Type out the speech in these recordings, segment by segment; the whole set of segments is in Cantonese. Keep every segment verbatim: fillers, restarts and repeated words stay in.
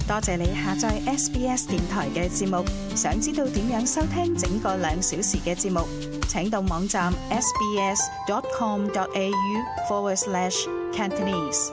多謝你下載 S B S 電台嘅節目。想知道點樣收聽整個兩小時嘅節目，請到網站 sbs.com.au forward slash Cantonese。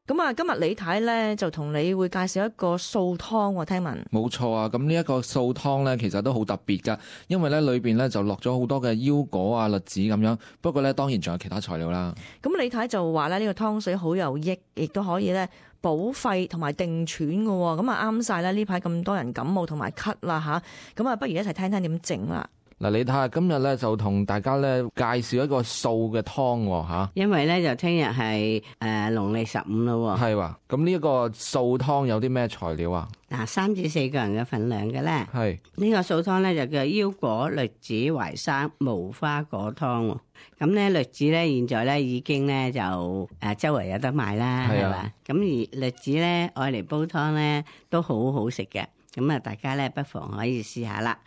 咁啊，今日李太咧就同你會介紹一個素湯喎，聽聞。冇錯啊，咁呢一個素湯咧，其實都好特別噶，因為咧裏邊咧就落咗好多嘅腰果啊、栗子咁樣。不過咧，當然仲有其他材料啦。咁李太就話咧，呢個湯水好有益，亦都可以咧補肺同埋定喘嘅。咁啊啱晒啦！呢排咁多人感冒同埋咳啦吓，咁啊不如一齊聽聽點整啦。嗱，你睇下今日咧就同大家咧介紹一個素嘅湯吓，因為咧就聽日係誒農曆十五咯，係話咁呢一個素湯有啲咩材料啊？嗱，三至四個人嘅份量嘅咧，係呢個素湯咧就叫腰果、栗子、淮山、無花果湯。咁咧栗子咧現在咧已經咧就誒周圍有得賣啦，係嘛？咁而栗子咧愛嚟煲湯咧都好好食嘅。咁啊，大家咧不妨可以試下啦。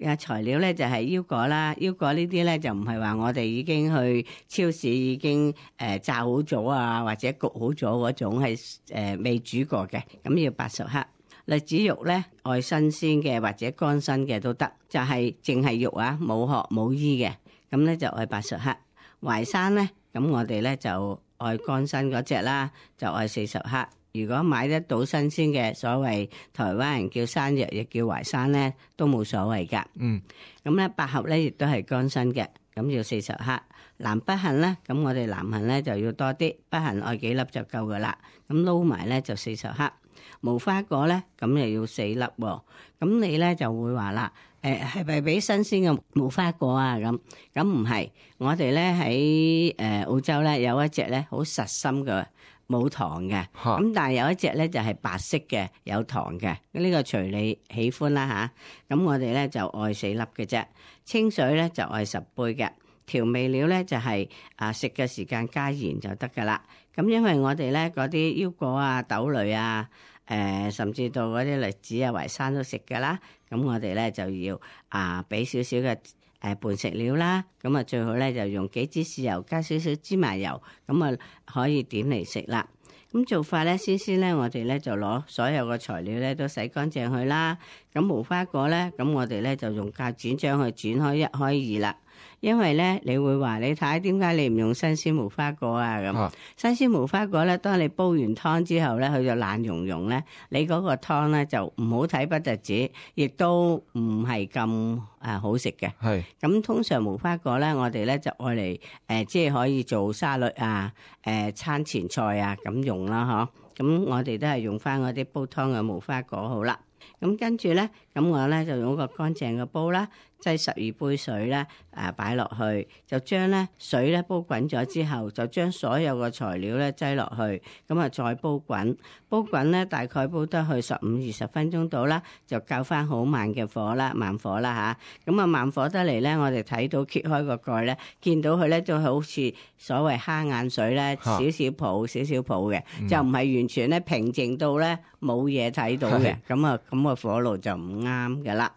啊，材料咧就係腰果啦，腰果呢啲咧就唔係話我哋已經去超市已經誒炸好咗啊，或者焗好咗嗰種係誒未煮過嘅。咁要八十克。栗子肉咧愛新鮮嘅或者乾身嘅都得，就係淨係肉啊，冇殼冇衣嘅。咁咧就愛八十克。淮山咧，咁我哋咧就愛乾身嗰隻啦，就愛四十克。如果買得到新鮮嘅，所謂台灣人叫山藥，亦叫淮山咧，都冇所謂噶。嗯，咁咧百合咧亦都係乾身嘅，咁要四十克。南北杏咧，咁我哋南杏咧就要多啲，北杏愛幾粒就夠噶啦。咁撈埋咧就四十克。無花果咧，咁又要四粒喎。咁你咧就會話啦，誒係咪俾新鮮嘅無花果啊？咁咁唔係，我哋咧喺誒澳洲咧有一隻咧好實心嘅。冇糖嘅，咁但係有一隻咧就係白色嘅，有糖嘅，呢個隨你喜歡啦吓。咁我哋咧就愛四粒嘅啫，清水咧就愛十杯嘅，調味料咧就係啊食嘅時間加鹽就得噶啦。咁因為我哋咧嗰啲腰果啊、豆類啊，誒甚至到嗰啲栗子啊、淮山都食噶啦，咁我哋咧就要啊俾少少嘅。誒拌食料啦，咁啊最好咧就用幾支豉油加少少芝麻油，咁啊可以點嚟食啦。咁做法咧，先先咧我哋咧就攞所有嘅材料咧都洗乾淨佢啦。咁無花果咧，咁我哋咧就用鉸剪將佢剪開一開二啦。因為咧你會話你睇點解你唔用新鮮無花果啊咁？啊新鮮無花果咧，當你煲完湯之後咧，佢就爛溶溶咧，你嗰個湯咧就唔好睇不特止，亦都唔係咁誒好食嘅。係咁通常無花果咧，我哋咧就愛嚟誒，即係可以做沙律啊、誒、呃、餐前菜啊咁用啦，嗬。咁我哋都係用翻嗰啲煲湯嘅無花果好啦。咁跟住咧，咁我咧就用個乾淨嘅煲啦，擠十二杯水咧，誒擺落去，就將咧水咧煲滾咗之後，就將所有嘅材料咧擠落去，咁啊再煲滾，煲滾咧大概煲得去十五二十分鐘到啦，就較翻好慢嘅火啦，慢火啦吓，咁啊慢火得嚟咧，我哋睇到揭開個蓋咧，見到佢咧就好似所謂蝦眼水咧，少少泡少少泡嘅，嗯、就唔係完全咧平靜到咧冇嘢睇到嘅，咁啊咁個火爐就唔啱噶啦。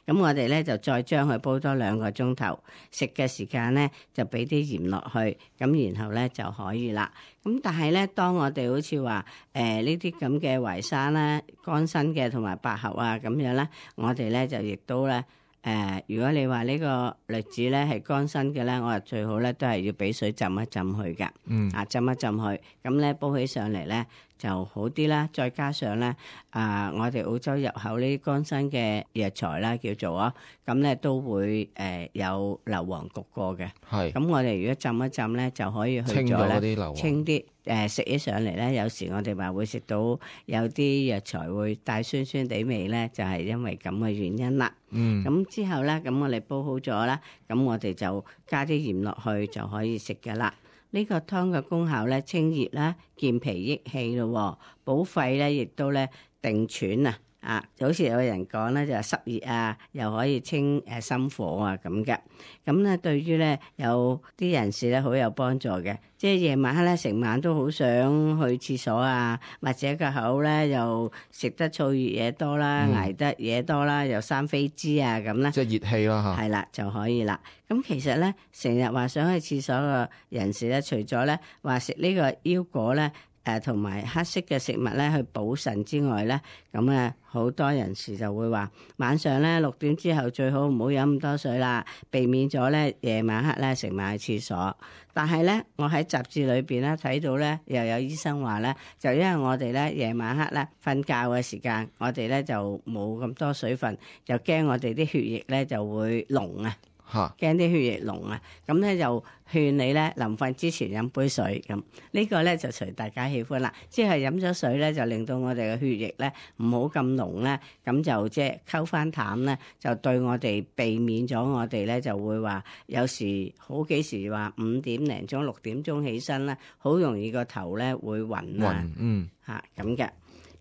咁我哋咧就再將佢煲多兩個鐘頭，食嘅時間咧就俾啲鹽落去，咁然後咧就可以啦。咁但係咧，當我哋好似話誒呢啲咁嘅淮山啦、乾身嘅同埋百合啊咁樣咧，我哋咧就亦都咧。誒、呃，如果你話呢個栗子咧係乾身嘅咧，我話最好咧都係要俾水浸一浸佢㗎，嗯，啊浸一浸佢，咁咧煲起上嚟咧就好啲啦。再加上咧，啊、呃，我哋澳洲入口呢啲乾身嘅藥材啦，叫做啊，咁咧都會誒、呃、有硫磺焗過嘅，係。咁我哋如果浸一浸咧，就可以去咗咧，清啲。誒食起上嚟咧，有時我哋話會食到有啲藥材會帶酸酸地味咧，就係、是、因為咁嘅原因啦。嗯，咁之後咧，咁我哋煲好咗啦，咁我哋就加啲鹽落去就可以食㗎啦。呢、這個湯嘅功效咧，清熱啦、健脾益氣咯，補肺咧，亦都咧定喘啊。啊，就好似有人講咧，就係濕熱啊，又可以清誒心火啊咁嘅。咁咧對於咧有啲人士咧好有幫助嘅，即係夜晚黑咧成晚都好想去廁所啊，或者個口咧又食得燥熱嘢多啦，嗯、捱得嘢多啦，又生飛滋啊咁咧，即係熱氣啦嚇，係啦就可以啦。咁其實咧成日話想去廁所嘅人士咧，除咗咧話食呢個腰果咧。誒同埋黑色嘅食物咧去補腎之外咧，咁啊好多人士就會話晚上咧六點之後最好唔好飲咁多水啦，避免咗咧夜晚黑咧食埋去廁所。但係咧，我喺雜誌裏邊咧睇到咧，又有醫生話咧，就因為我哋咧夜晚黑咧瞓覺嘅時間，我哋咧就冇咁多水分，就驚我哋啲血液咧就會濃啊。嚇，驚啲血液濃啊，咁咧就勸你咧臨瞓之前飲杯水咁，呢個咧就隨大家喜歡啦。即係飲咗水咧，就令到我哋嘅血液咧唔好咁濃咧，咁就即係溝翻淡咧，就對我哋避免咗我哋咧就會話有時好幾時話五點零鐘六點鐘起身咧，好容易個頭咧會暈啊，暈嗯嚇咁嘅。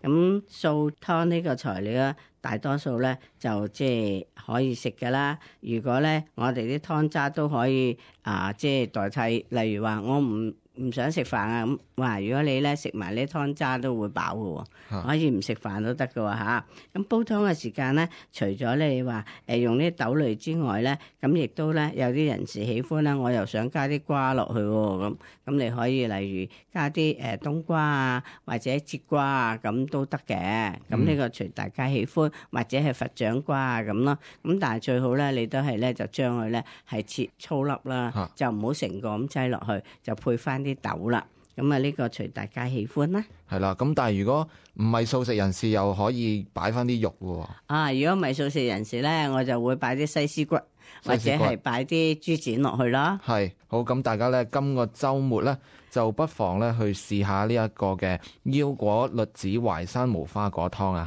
咁素湯呢個材料咧，大多數咧就即係可以食噶啦。如果咧我哋啲湯渣都可以啊，即係代替，例如話我唔唔想食飯啊咁，哇！如果你咧食埋呢湯渣都會飽嘅喎，可以唔食飯都得嘅喎嚇。咁煲湯嘅時間咧，除咗咧你話誒用啲豆類之外咧，咁亦都咧有啲人士喜歡啦，我又想加啲瓜落去喎，咁咁你可以例如加啲誒冬瓜啊，或者節瓜啊，咁都得嘅。咁呢個隨大家喜歡，或者係佛掌瓜啊咁咯。咁但係最好咧，你都係咧就將佢咧係切粗粒啦，就唔好成個咁擠落去，就配翻啲豆啦，咁啊呢個隨大家喜歡啦。係啦，咁但係如果唔係素食人士，又可以擺翻啲肉喎。啊，如果唔係素食人士咧，我就會擺啲西施骨，或者係擺啲豬展落去咯。係，好，咁大家咧今個週末咧就不妨咧去試下呢一個嘅腰果栗子淮山無花果湯啊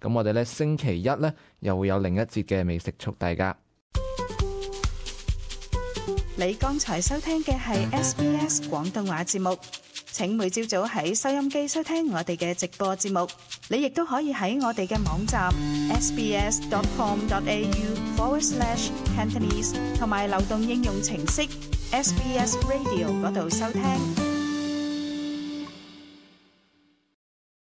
吓。咁我哋咧星期一咧又會有另一節嘅美食速遞㗎。你剛才收聽嘅係 S B S 廣東話節目，請每朝早喺收音機收聽我哋嘅直播節目。你亦都可以喺我哋嘅網站 sbs.com.au forward slash Cantonese 同埋流動應用程式 S B S Radio 嗰度收聽。